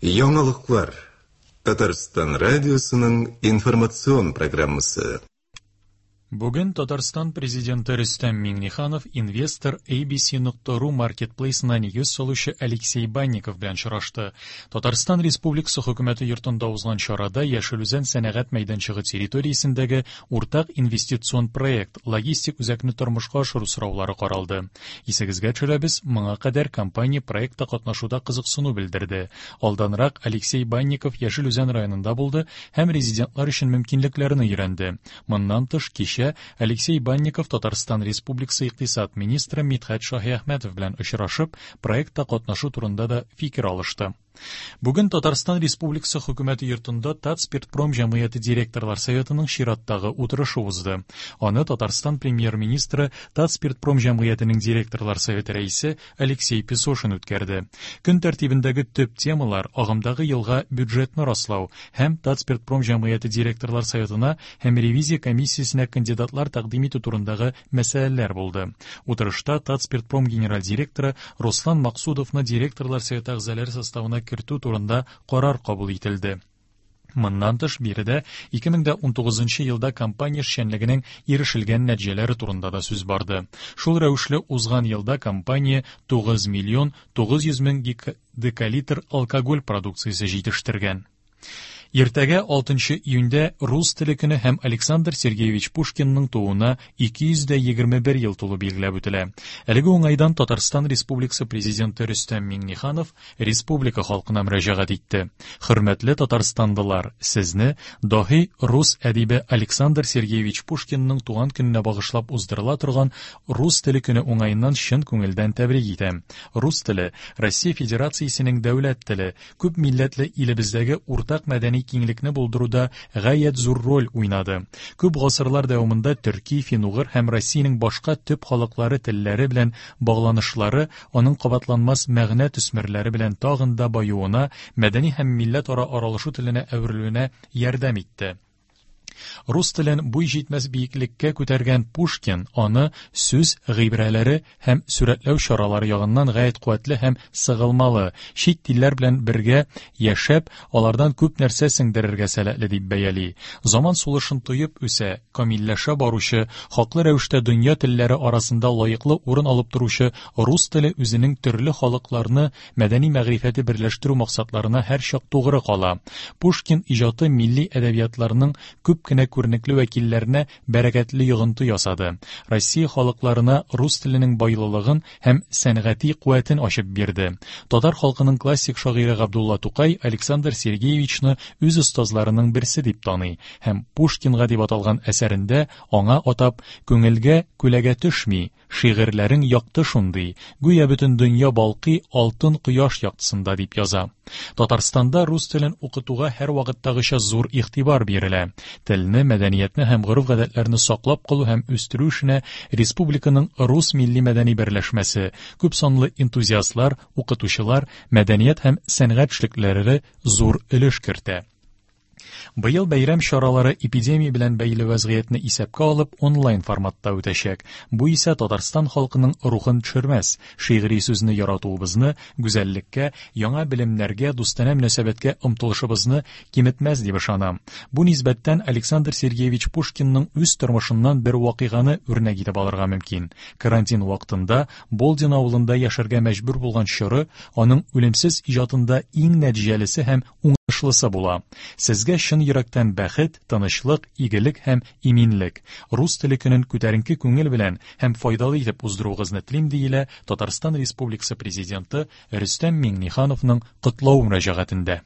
Яңалыклар. Татарстан радиосының информацион программасы. Бүген Татарстан Президенты Рөстәм Миңнеханов инвестор ABC.ru маркетплейсына нигез салучы Алексей Банников белән очрашты. Татарстан Республикасы Хөкүмәте йортында узган чарада Яшел Үзән сәнәгать мәйданчыгы территориясендәге уртак инвестицион проект, логистик үзәкне тормышка ашыру сораулары каралды. Исегезгә төшерәбез, моңа кадәр компания проектта катнашуда кызыксыну белдерде. Алданрак Алексей Банников Яшел Үзән районында булды һәм резидентлар өчен мөмкинлекләрне өйрәнде. Моннан тыш, кичә Алексей Банников Татарстан Республикасы икътисад министры Мидхәт Шаһиәхмәтов белән очрашып, проектта катнашу турында да фикер алышты. Бүген Татарстан Республикасы Хөкүмәте йортында Татспиртпром җәмгыяте директорлар советының чираттагы утырышы узды. Аны Татарстан премьер-министры Татспиртпром җәмгыятенең директорлар советы рәисе Алексей Песошин үткәрде. Көн тәртибендәге төп темалар агымдагы елга бюджетны раслау һәм Татспиртпром җәмгыяте директорлар советына һәм ревизия комиссиясенә кандидатлар тәкъдим итү турындагы мәсьәләләр булды. Утырышта Татспиртпром генераль директоры Руслан Максудовны директорлар советы әгъзалары составына кертү турында карар кабул ителде. Моннан тыш, биредә 2019 елда компания эшчәнлегенең ирешелгән нәтиҗәләре турында да сүз барды. Шул рәвешле узган елда компания 9 миллион 900 мең декалитр алкоголь продукциясе җитештергән. Иртәгә 6 июньдә рус теле көне һәм Александр Сергеевич Пушкинның тууына 221 ел тулу билгеләп үтелә. Әлеге уңайдан Татарстан Республикасы Президенты Рөстәм Миңнеханов республика халкына мөрәҗәгать итте. Хөрмәтле татарстандылар, сезне даһи рус әдибе Александр Сергеевич Пушкинның туган көненә багышлап уздырыла торган рус теле көне уңаеннан чын күңелдән тәбрик итәм. Рус теле Россия Федерациясенең дәүләт теле, күп милләтле илебездәге уртак мәдәни киңлекне булдыруда гаять зур роль уйнады. Күп гасырлар дәвамында төрки, фин-угыр һәм Россиянең башка төп халыклары телләре белән багланышлары аның кабатланмас мәгънә төсмерләре белән тагын да баюына, мәдәни һәм милләтара аралашу теленә әверелүенә ярдәм итте. Рус телен буй җитмәс биеклеккә күтәргән Пушкин аны сүз гыйбрәләре һәм сурәтләү чаралары ягыннан гаять куәтле һәм сыгылмалы, чит телләр белән бергә яшәп, алардан күп нәрсә сеңдерергә сәләтле дип бәяли. Заман сулышын тоеп үсә, камилләшә баручы, хаклы рәвештә дөнья телләре арасында лаеклы урын алып торучы рус теле үзенең төрле халыкларны мәдәни мәгърифәте берләштерү максатларына һәрчак тугры кала. Пушкин иҗаты милли әдәбиятларның күп кенә күренекле вәкилләренә бәрәкәтле йогынты ясады. Россия халыкларына рус теленең байлылыгын һәм сәнгати куәтен ачып бирде. Татар халкының классик шагыйре Габдулла Тукай Александр Сергеевичны үз остазларының берсе дип таный һәм Пушкинга дип аталган әсәрендә аңа атап «Күңелгә күләгә төшми, Шигырьләрең якты шундый, гүя бөтен дөнья балкый алтын кояш яктысында, дип яза. Татарстанда рус телен укытуга һәрвакыттагыча зур игътибар бирелә. Телне, мәдәниятне һәм гореф-гадәтләрне саклап калу һәм үстерү эшенә республиканың рус милли-мәдәни берләшмәсе, күпсанлы энтузиастлар, укытучылар, мәдәният һәм сәнгать эшлеклеләре зур өлеш кертә. Быел бәйрәм чаралары эпидемия белән бәйле вәзгыятьне исәпкә алып онлайн форматта үтәчәк. Бу исә Татарстан халкының рухын төшермәс, шигъри сүзне яратуыбызны, гүзәллеккә, яңа белемнәргә, дустанә мөнәсәбәткә омтылышыбызны киметмәс дип ышанам. Бу нисбәттән Александр Сергеевич Пушкинның үз тормышыннан бер вакыйганы үрнәк итеп алырга мөмкин. Карантин вакытында Болдин авылында яшәргә мәҗбүр булган чоры аның үлемсез иҗатында иң нәтиҗәлесе һәм уңышлысы була. Сезгә чын йөрәктән бәхет, тынычлык, игелек һәм иминлек. Рус теле көнен күтәренке күңел белән һәм файдалы итеп уздыруыгызны телим, диелә Татарстан Республикасы Президенты Рөстәм Миңнехановның котлау мөрәҗәгатендә.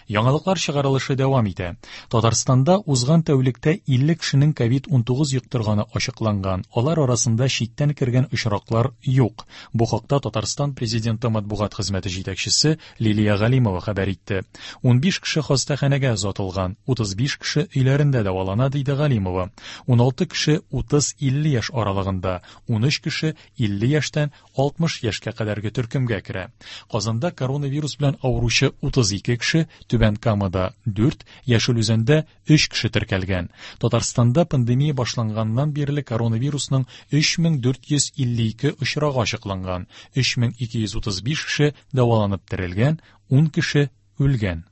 Яңалыклар чыгарылышы дәвам итә. Татарстанда узган тәүлектә 50 кешенең ковид-19 йоктырганы ачыкланган. Алар арасында читтән кергән очраклар юк. Бу хакта Татарстан Президенты матбугат хезмәте җитәкчесе Лилия Галимова хәбәр итте. 15 кеше хастаханәгә озатылган, 35 кеше өйләрендә дәвалана, диде Галимова. 16 кеше 30-50 яшь аралыгында, 13 кеше 50 яшьтән 60 яшькә кадәрге төркемгә керә. Казанда коронавирус белән авыручы 32 кеше, Түбән Камада 4, Яшел Үзәндә 3 кеше теркәлгән. Татарстанда пандемия башланганнан бирле коронавирусның 3452 очрагы ачыкланган, 3235 кеше дәваланып терелгән, 10 кеше үлгән.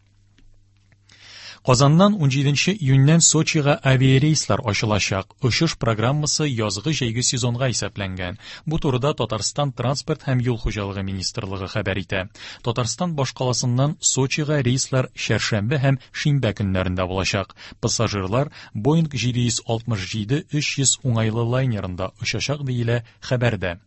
Казаннан 17 июньнән Сочига авиарейслар ачылачак. Очыш программасы язгы-җәйге сезонга исәпләнгән. Бу турыда Татарстан транспорт һәм юл хуҗалыгы министрлыгы хәбәр итә. Татарстан башкаласыннан Сочига рейслар чәршәмбе һәм шимбә көннәрендә булачак. Пассажирлар Boeing 767-300 уңайлы лайнерында очачак, диелә хәбәрдә.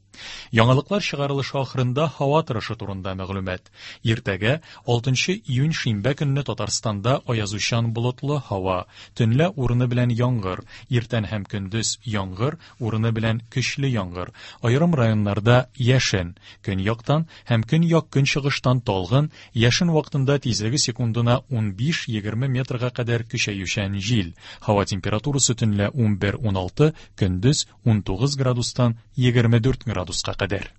Яңалыклар чыгарылышы ахырында һава торышы турында мәгълүмат. Иртәгә, 6 июнь шимбә көнне Татарстанда аязучан болытлы һава, төнлә урыны белән яңгыр, иртән һәм көндез яңгыр, урыны белән көчле яңгыр, аерым районнарда яшен, көньяктан һәм көньяк-көнчыгыштан талгын, яшен вакытында тизлеге секундына 15-20 метрга кадәр көчәючән җил. Һава температурасы төнлә 11-16, көндез 19 градустан 24 градуска кадәр.